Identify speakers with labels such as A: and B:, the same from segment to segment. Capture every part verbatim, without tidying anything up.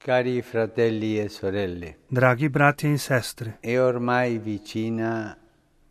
A: Cari fratelli e sorelle,
B: Dragi bratje in sestre,
A: è ormai vicina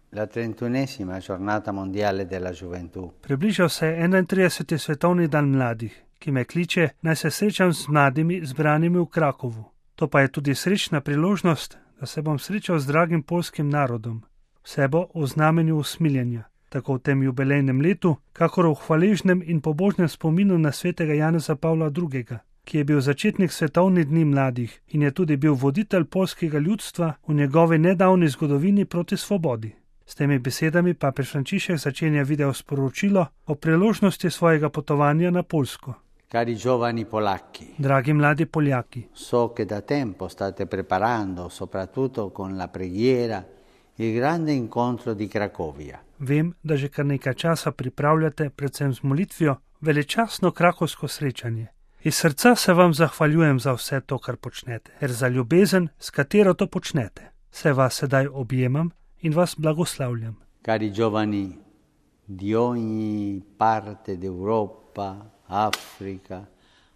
A: la trentunesima giornata mondiale della gioventù.
B: približal se je enaintrideseti svetovni dan mladih, ki me kliče, naj se srečam z mladimi zbranimi v Krakovu. To pa je tudi srečna priložnost, da se bom srečal z dragim poljskim narodom. Vse bo v znamenju usmiljenja, tako v tem jubilejnem letu, kakor v hvaležnem in pobožnem spominu na svetega Janeza Pavla drugega, ki je bil začetnik svetovnih dni mladih in je tudi bil voditelj poljskega ljudstva v njegovi nedavni zgodovini proti svobodi. S temi besedami papež Frančišek začenja video sporočilo o priložnosti svojega potovanja na Poljsko.
A: Cari giovani polacchi,
B: Dragi mladi Poljaki,
A: so che da tempo state preparando, soprattutto con la preghiera, il grande incontro di Cracovia.
B: vem, da že kar nekaj časa pripravljate, predvsem z molitvijo, veličastno krakovsko srečanje. Iz srca se vam zahvaljujem za vse to, kar počnete, ter za ljubezen, s katero to počnete. Se vas sedaj objemam in vas blagoslavljam.
A: Cari giovani di ogni parte d'Europa, Africa,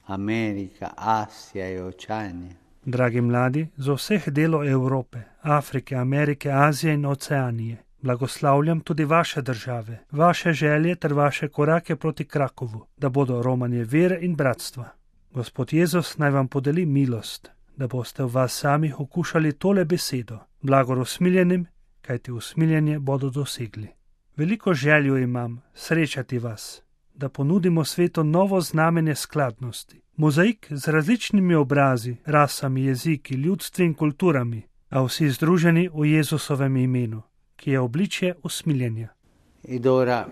A: America, Asia e Oceania.
B: Dragi mladi, z vseh delov Evrope, Afrike, Amerike, Azije in Oceanije, blagoslavljam tudi vaše države, vaše želje ter vaše korake proti Krakovu, da bodo romanje vere in bratstva. Gospod Jezus naj vam podeli milost, da boste v vas sami okušali tole besedo, blagor usmiljenim, kajti usmiljenje bodo dosegli. Veliko željo imam srečati vas, da ponudimo svetu novo znamenje skladnosti, mozaik z različnimi obrazi, rasami, jeziki, ljudstvi in kulturami, a vsi združeni v Jezusovem imenu, ki je obličje usmiljenja.
A: Ed ora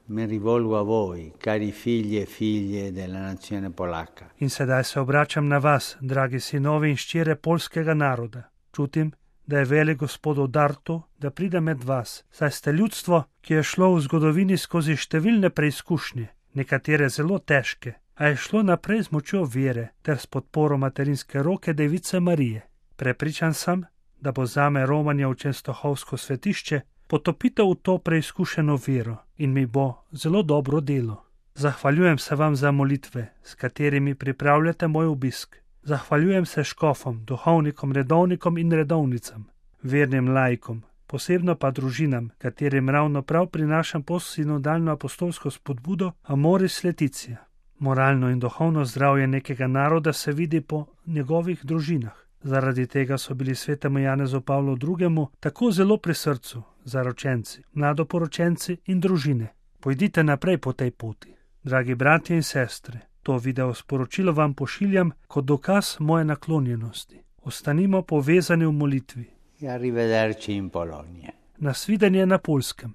A: mi rivolgo a voi, cari figli e figlie della nazione polacca.
B: In sedaj se obračam na vas, dragi sinovi in ščere poljskega naroda. Čutim, da je velik Gospodov dar to, da pride med vas, saj ste ljudstvo, ki je šlo v zgodovini skozi številne preizkušnje, nekatere zelo težke, a je šlo naprej z močjo vere ter s podporo materinske roke Device Marije. Prepričan sem, da bo zame romanje v Čenstohovsko svetišče potopitev v to preizkušeno vero in mi bo zelo dobro delo. Zahvaljujem se vam za molitve, s katerimi pripravljate moj obisk. Zahvaljujem se škofom, duhovnikom, redovnikom in redovnicam, vernim laikom, posebno pa družinam, katerim ravno prav prinašam postsinodalno apostolsko spodbudo Amoris Laetitia. Moralno in duhovno zdravje nekega naroda se vidi po njegovih družinah. Zaradi tega so bili svetemu Janezu Pavlu drugemu tako zelo pri srcu, zaročenci, mladoporočenci in družine. Pojdite naprej po tej poti. Dragi bratje in sestre, to video sporočilo vam pošiljam kot dokaz moje naklonjenosti. Ostanimo povezani v molitvi.
A: E arrivederci in Polonia.
B: Nasvidenje na Poljskem.